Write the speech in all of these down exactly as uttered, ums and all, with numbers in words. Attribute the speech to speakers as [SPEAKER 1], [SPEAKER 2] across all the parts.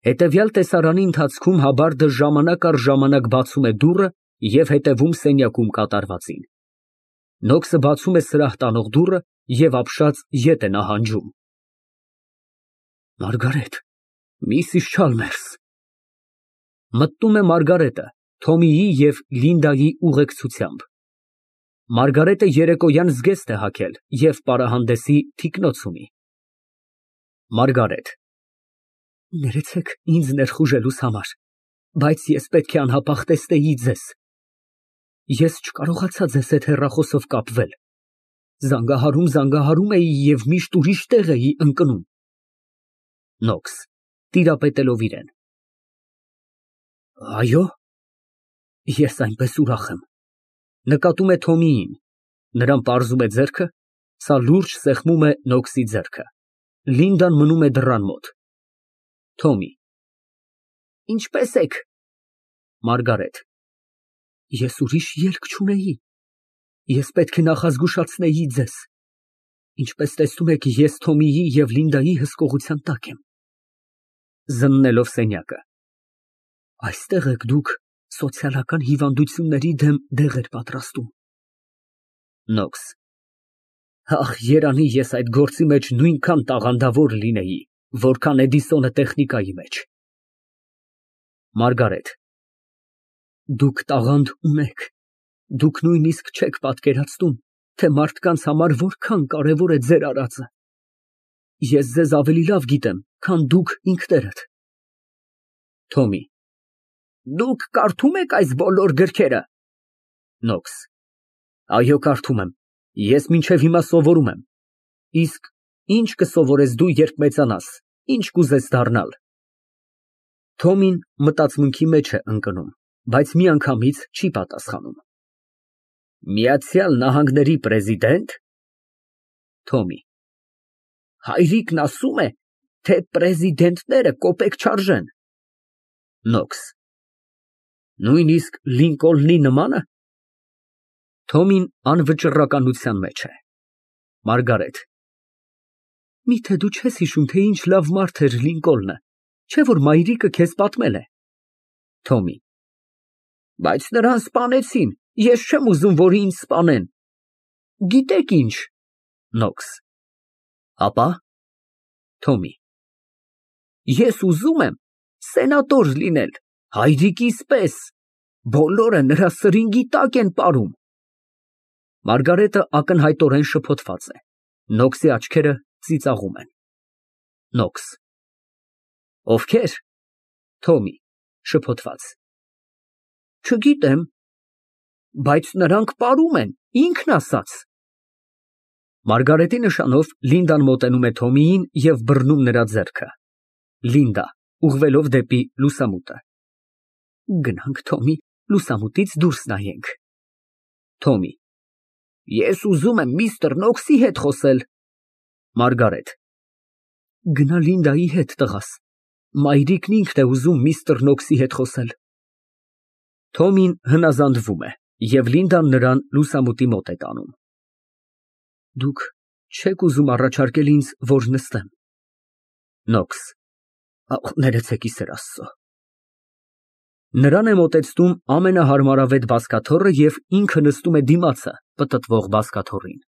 [SPEAKER 1] Հետևյալ տեսարանի ընթացքում Հաբարդը ժամանակ առ ժամանակ բացում է դուռը և հետևում սենյակում կատարվածին։ Նոքսը բացում է սրահ տանող դուռը և ապշած ետ է նահանջում)։ Մարգարետ, միսիս Չալմերս։ Մտնում է Մարգարետը Թոմիի և Լինդայի ուղեկցությամբ։ Մարգարետը երեկոյան զգեստ է հագել և պարահանդեսի թիկնոց ունի։ ՄԱՐԳԱՐԵՏ ֊ Ներեցեք ինձ ներխուժելուս համար, բայց ես պետք է անհապաղ տեսնեի ձեզ։ Ես չկարողացա ձեզ հետ հեռախոսով կապվել, զանգահարում էի և միշտ ուրիշ տեղ էի ընկնում։ ՆՈՔՍ ֊ (Տիրապետելով իրան) Այո՞։ Ես այնպես ուրախ եմ։ (Նկատում է Թոմիին, նրան պարզում է ձեռքը, սա լուրջ սեղմում է Նոքսի ձեռքը, Լինդան մնում է դռան մոտ)։ Թոմի ֊ Ինչպե՞ս եք։ ՄԱՐԳԱՐԵՏ ֊ Ես ուրիշ ելք չունեի, ես պետք է նախազգուշացնեի ձեզ։ Ինչպես տեսնում եք, ես Թոմիի և Լինդայի հսկողության տակ եմ։ (Զննելով սենյակը) Այստեղ եք դուք սոցիալական հիվանդությունների դեմ դեղեր պատրաստում։ ՆՈՔՍ ֊ Ախ, երանի ես այդ գործի մեջ նույնքան տաղանդավոր լինեի, որքան Էդիսոնը տեխնիկայի մեջ։ ՄԱՐԳԱՐԵՏ ֊ Դուք տաղանդ ունեք, դուք նույնիսկ չեք պատկերացնում, թե մարդկանց համար որքան կարևոր է ձեր արածը։ Ես ձեզ ավելի լավ գիտեմ, քան դուք ինքներդ։ Թոմի ֊ Դուք կարդո՞ւմ եք այս բոլոր գրքերը։ ՆՈՔՍ ֊ Այո, կարդում եմ, ես մինչև հիմա սովորում եմ։ Իսկ ի՞նչ կսովորես դու, երբ մեծանաս, ի՞նչ կուզես դառնալ։ (Թոմին մտածմունքի մեջ է ընկնում, բայց միանգամից չի պատասխանում) Միացյալ Նահանգների պրեզիդե՞նտ։ (Թոմի) Հայրիկն ասում է, թե պրեզիդենտները կոպեկ չարժեն։ ՆՈՔՍ ֊ Նույնիսկ Լինկոլնի նմա՞նը։ (Թոմին անվճռականության մեջ է)։ ՄԱՐԳԱՐԵՏ ֊ Միթե դու չես հիշում, թե ինչ լավ մարդ էր Լինկոլնը, չէ՞ որ մայրիկը քեզ պատմել է։ (Թոմի) Բայց նրան սպանեցին, ես չեմ ուզում, որ ինձ սպանեն։ Գիտեք ինչ։ ՆՈՔՍ ֊ Ապա։ (Թոմի) Ես ուզում եմ սենատոր լինել, հայրիկիս պես, բոլորը նրա սրինգի տակ են ապրում։ (Մարգարետը ակնհայտորեն շփոթված է, Նոքսի աչքերը ծիծաղում են)։ ՆՈՔՍ ֊ Ովքե՞ր։ (Թոմի) (Շփոթված) Չգիտեմ, բայց նրանք ապրում են, ինքն ասաց։ (Մարգարետի նշանով Լինդան մոտենում է Թոմիին և բռնում նրա ձեռքը)։ (Լինդա ֊ ուղղվելով դեպի լուսամուտը) Գնանք, Թոմի, լուսամուտից դուրս նայենք։ (Թոմի) Ես ուզում եմ միստր Նոքսի հետ խոսել։ (Մարգարետ) Գնա Լինդայի հետ, տղաս, մայրիկն ինքն է ուզում միստր Նոքսի հետ խոսել։ (Թոմին հնազանդվում է, և Լինդան նրան լուսամուտի մոտ է տանում)։ Դուք չեք ուզում առաջարկել ինձ, որ նստեմ։ ՆՈՔՍ ֊ Ներեցեք, ի սեր Աստծո։ (Նրան է մոտեցնում ամենահարմարավետ բազկաթոռը և ինքը նստում է դիմացը պտտվող բազկաթոռին)։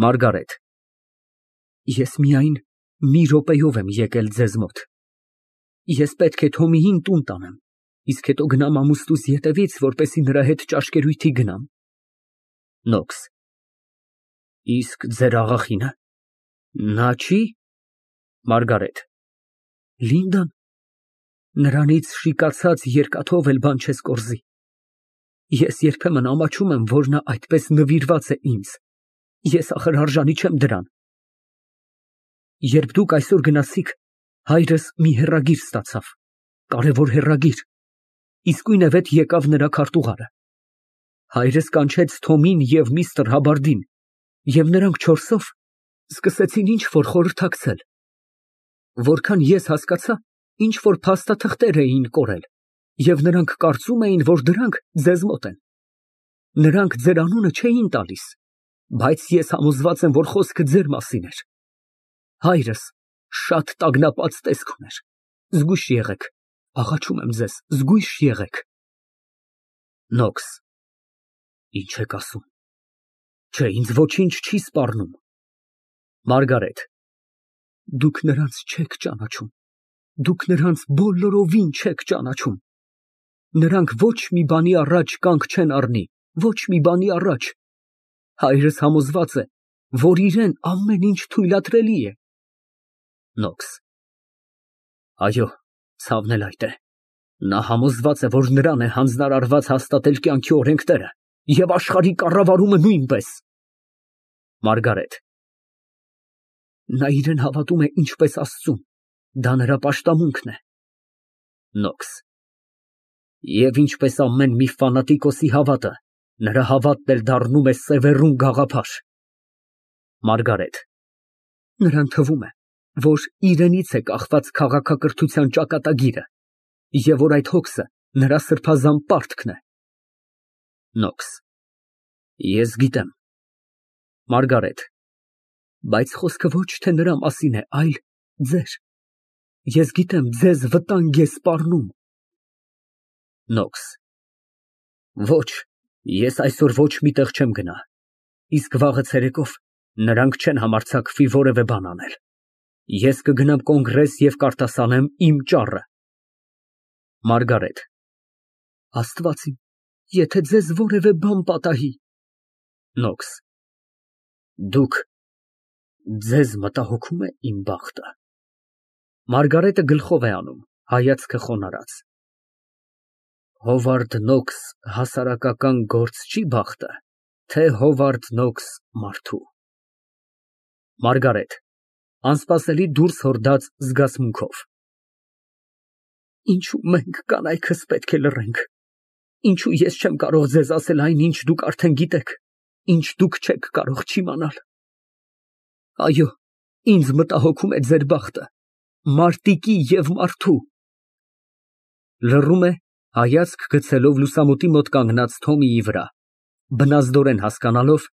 [SPEAKER 1] ՄԱՐԳԱՐԵՏ ֊ Ես միայն մի րոպեով եմ եկել ձեզ մոտ։ Ես պետք է Թոմիին տուն տանեմ, իսկ հետո գնամ ամուսնուս ետևից, որպեսզի նրա հետ ճաշկերույթի գնամ։ ՆՈՔՍ ֊ Իսկ ձեր աղախինը։ Նա չի։ (Մարգարետ) Լինդան, նրանից շիկացած երկաթով էլ բան չես կորզի։ Ես երբեմն ամաչում եմ, որ նա այդպես նվիրված է ինձ, ես ախր արժանի չեմ դրան։ Երբ դուք այսօր գնացիք, հայրս մի հեռագիր ստացավ, կարևոր հեռագիր, իսկույնևեթ եկավ նրա քարտուղարը։ Հայրս կանչեց Թոմին և միստր Հաբարդին, և նրանք չորսով սկսեցին ինչ֊որ խորհրդակցել։ Որքան ես հասկացա, ինչ֊որ փաստաթղթեր էին կորել, և նրանք կարծում էին, որ դրանք ձեզ մոտ են։ Նրանք ձեր անունը չէին տալիս, բայց ես համոզված եմ, որ խոսքը ձեր մասին էր։ Հայրս շատ տագնապած տեսք ուներ։ Զգույշ եղեք, աղաչում եմ ձեզ, զգույշ եղեք։ Նոքս։ Ինչ եք ասում։ Չէ, ինձ ոչինչ չի սպառնում։ Մարգարետ։ Դուք նրանց չեք ճանաչում, դուք նրանց բոլորովին չեք ճանաչում։ Նրանք ոչ մի բանի առաջ կանգ չեն առնի, ոչ մի բանի առաջ։ Հայրս համոզված է, որ իրեն ամեն ինչ թույլատրելի է։ Նոքս։ Այո, ցավն էլ այդ է։ Նա համոզված է, որ նրան է հանձնարարված հաստատել կյանքի օրենքները և աշխարհի կառավարումը նույնպես։ Մարգարետ։ Նա իրեն հավատում է ինչպես Աստծուն, դա նրա պաշտամունքն է։ Նոքս։ Եվ ինչպես ամեն մի ֆանատիկոսի հավատը, նրա հավատն էլ դառնում է սևեռուն գաղափար։ Մարգարետ։ Նրան թվում է, որ իրենից է կախված քաղաքակրթության ճակատագիրը, և որ այդ հոգսը նրա սրբազան պարտքն է։ Նոքս։ Ես գիտեմ։ Մարգարետ։ Բայց խոսքը ոչ թե նրա մասին է, այլ ձեր։ Ես գիտեմ, ձեզ վտանգ է սպառնում։ Նոքս։ Ոչ, ես այսօր ոչ մի տեղ չեմ գնա, իսկ վաղը ցերեկով նրանք չեն համարձակվի որևէ բան անել։ Ես կգնամ կոնգրես և կարտասանեմ իմ ճառը։ Մարգարետ։ Աստված իմ, եթե ձեզ որևէ բան պատահի։ Նոքս։ Դուք, ձեզ մտահոգում է իմ բախտը։ Մարգարետը գլխով է անում, հայացքը խոնարհած։ Հովարդ Նոքս հասարակական գործչի բախտը, թե Հովարդ Նոքս մարդու։ Մարգարետ (անսպասելի դուրս հորդած զգացմունքով) Ինչու մենք կանայքս պետք է լռենք, ինչու ես չեմ կարող ձեզ ասել այն, ինչ դուք արդեն գիտեք, ինչ դուք չեք կարող չիմանալ։ Այո, ինձ մտահոգում է ձեր բախտը, մարտիկի և մարդու։ Լռում է, հայացք գցելով լուսամուտի մոտ կանգնած Թոմիի վրա, բնազդորեն հասկանալով,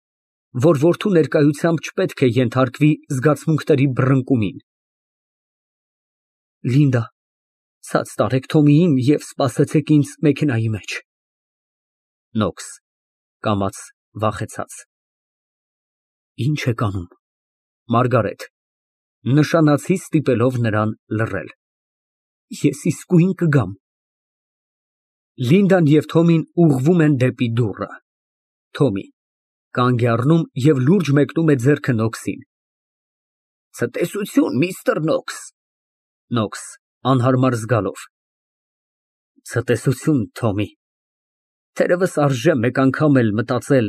[SPEAKER 1] որ որդու ներկայությամբ չպետք է ենթարկվի զգացմունքների բռնկումին։ Լինդա, ցած տարեք Թոմիին և սպասեցեք ինձ մեքենայի մեջ։ Նոքս (կամաց, վախեցած) Ինչ եք անում։ Մարգարետ (նշանացի ստիպելով նրան լռել) Ես իսկույն կգամ։ Լինդան և Թոմին ուղղվում են դեպի դուռը։ Թոմի կանգ է առնում և լուրջ մեկնում է ձեռքը Նոքսին։ Ցտեսություն, միստր Նոքս։ Նոքս (անհարմար զգալով) Ցտեսություն, Թոմի։ Թերևս արժե մեկ անգամ էլ մտածել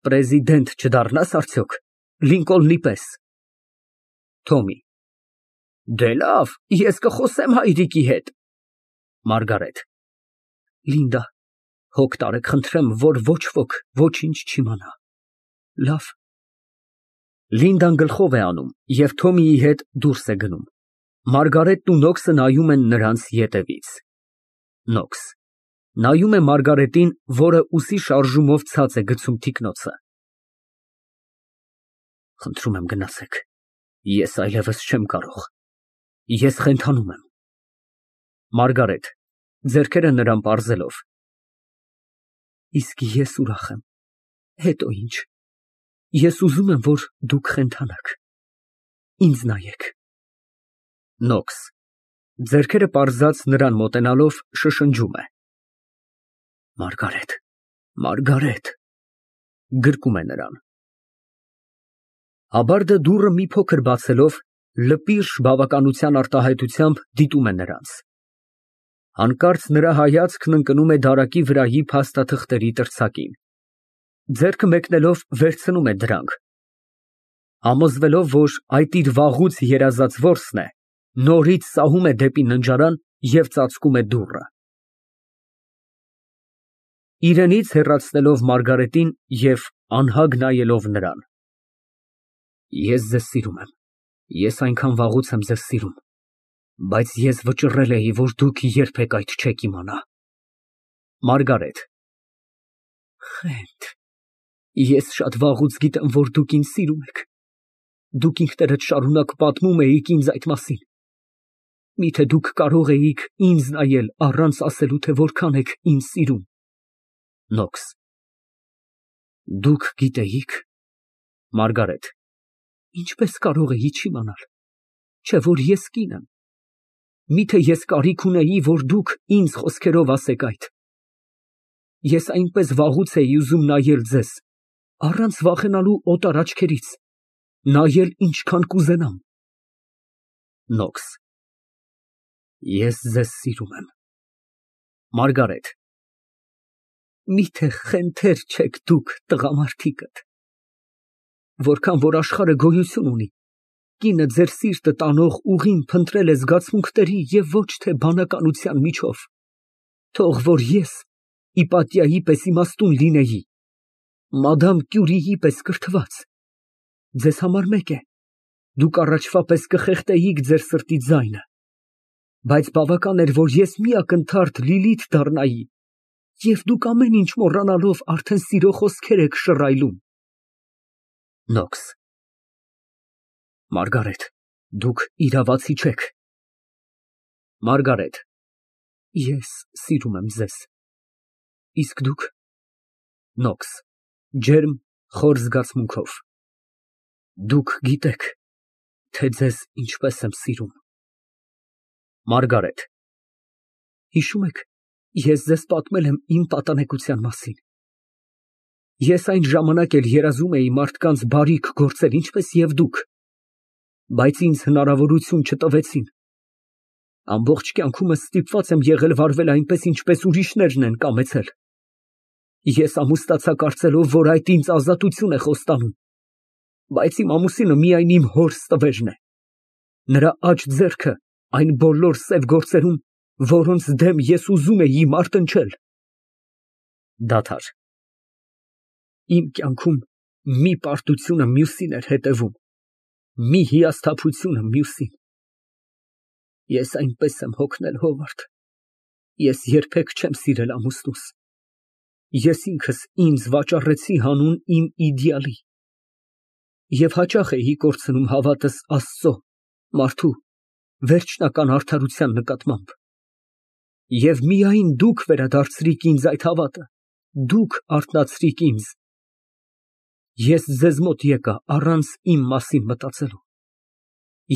[SPEAKER 1] պրեզիդենտ չդառնաս արդյոք, Լինկոլնի պես։ Թոմի Դե լավ, ես կխոսեմ հայրիկի հետ։ Մարգարետ Լինդա, հոգ տարեք խնդրեմ, որ ոչ ոք ոչինչ չիմանա։ Լավ։ Լինդան գլխով է անում և Թոմիի հետ դուրս է գնում։ Մարգարետն ու Նոքսը նայում են նրանց ետևից։ Նոքս նայում է Մարգարետին, որը ուսի շարժումով ցած է գցում թիկնոցը։ Խնդրում եմ, գնացեք, ես այլևս չեմ կարող, ես խենթանում եմ։ Մարգարետ (ձեռքերը նրան պարզելով) Իսկ ես ուրախ եմ, հետո ինչ, ես ուզում եմ, որ դուք խենթանաք, ինձ նայեք։ Նոքս (ձեռքերը պարզած նրան մոտենալով շշնջում է) Մարգարետ, Մարգարետ, գրկում է նրան։ Աբարդը դուռը մի փոքր բացելով, լպիրշ բավականության արտահայտությամբ դիտում է նրանց։ Հանկարծ նրա հայացքն ընկնում է դարակի վրայի փաստաթղթերի տրցակին։ Ձեռքը մեկնելով վերցնում է դրանք։ Համոզվելով, որ այդ իր վաղուց երազած որսն է, նորից սահում է դեպի ննջարան և ծածկում է դուռը։ Իրենից հեռացնելով Մարգարետին և անհագ նայելով նրան։ Ես ձեզ սիրում եմ, ես այնքան վաղուց եմ ձեզ սիրում, բայց ես վճռել էի, որ դուք երբեք այդ չեք իմանա։ Մարգարետ Խենթ, ես շատ վաղուց գիտեմ, որ դուք ինձ սիրում եք, դուք ինքներդ շարունակ պատմում էիք ինձ այդ մասին։ Միթե դուք կարող էիք ինձ նայել առանց ասելու, թե որքան եք ինձ սիրում։ (Նոքս) Դուք գիտեիք։ (Մարգարետ) Ինչպես կարող էի չիմանալ, չէ որ ես կին եմ։ Միթե ես կարիք ունեի, որ դուք ինձ խոսքերով ասեք այդ։ Ես այնպես վաղուց էի ուզում նայել ձեզ, առանց վախենալու օտար աչքերից, նայել ինչքան կուզենամ։ (Նոքս) Ես ձեզ սիրում եմ։ (Մարգարետ) Միթե խենթեր չեք դուք տղամարդիկդ։ Որքան որ աշխարհը գոյություն ունի, կինը ձեր սիրտը տանող ուղին փնտրել է զգացմունքների և ոչ թե բանականության միջով, թող որ ես Իպատիայի պես իմաստուն լինեի, մադամ Կյուրիի պես կրթված, ձեզ համար մեկ է, դուք առաջվա պես կխեղդեիք ձեր սրտի ձայնը, բայց բավական էր, որ ես մի ակնթարթ Լիլիթ դառնայի, և դուք ամեն ինչ մոռանալով արդեն սիրո խոսքեր եք շռայլում։ (Նոքս) Մարգարետ, դուք իրավացի չեք։ (Մարգարետ) Ես սիրում եմ ձեզ։ Իսկ դուք։ (Նոքս) Ջերմ, խոր զգացմունքով) Դուք գիտեք, թե ձեզ ինչպես եմ սիրում։ (Մարգարետ) Հիշո՞ւմ եք, ես ձեզ պատմել եմ իմ պատանեկության մասին։ Ես այն ժամանակ էլ երազում էի մարդկանց բարիք գործել, ինչպես և դուք, բայց ինձ հնարավորություն չտվեցին։ Ամբողջ կյանքումս ստիպված եմ եղել վարվել այնպես, ինչպես ուրիշներն են կամեցել։ Ես ամուսնացա կարծելով, որ այդ ինձ ազատություն է խոստանում, բայց իմ ամուսինը միայն իմ հորս տվերն է, նրա աջ ձեռքը այն բոլոր սև գործերում, որոնց դեմ ես ուզում էի մարտնչել։ (Դադար) Իմ կյանքում մի պարտությունը մյուսին էր հետևում, մի հիասթափությունը մյուսին։ Ես այնպես եմ հոգնել, Հովարդ, ես երբեք չեմ սիրել ամուսնուս։ Ես ինքս ինձ վաճառեցի հանուն իմ իդեալի և հաճախ էի կորցնում հավատս Աստծո, մարդու, վերջնական արդարության նկատմամբ։ Եվ միայն դուք վերադարձրիք ինձ այդ հավատը, դուք արթնացրիք ինձ։ Ես ձեզ մոտ եկա առանց իմ մասին մտածելու,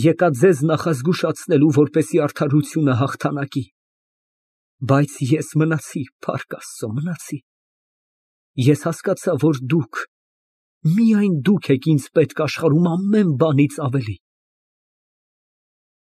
[SPEAKER 1] եկա ձեզ նախազգուշացնելու, որպեսզի արդարությունը հաղթանակի, բայց ես մնացի, փառք Աստծո, մնացի։ Ես հասկացա, որ դուք, միայն դուք եք ինձ պետք աշխարհում ամեն բանից ավելի։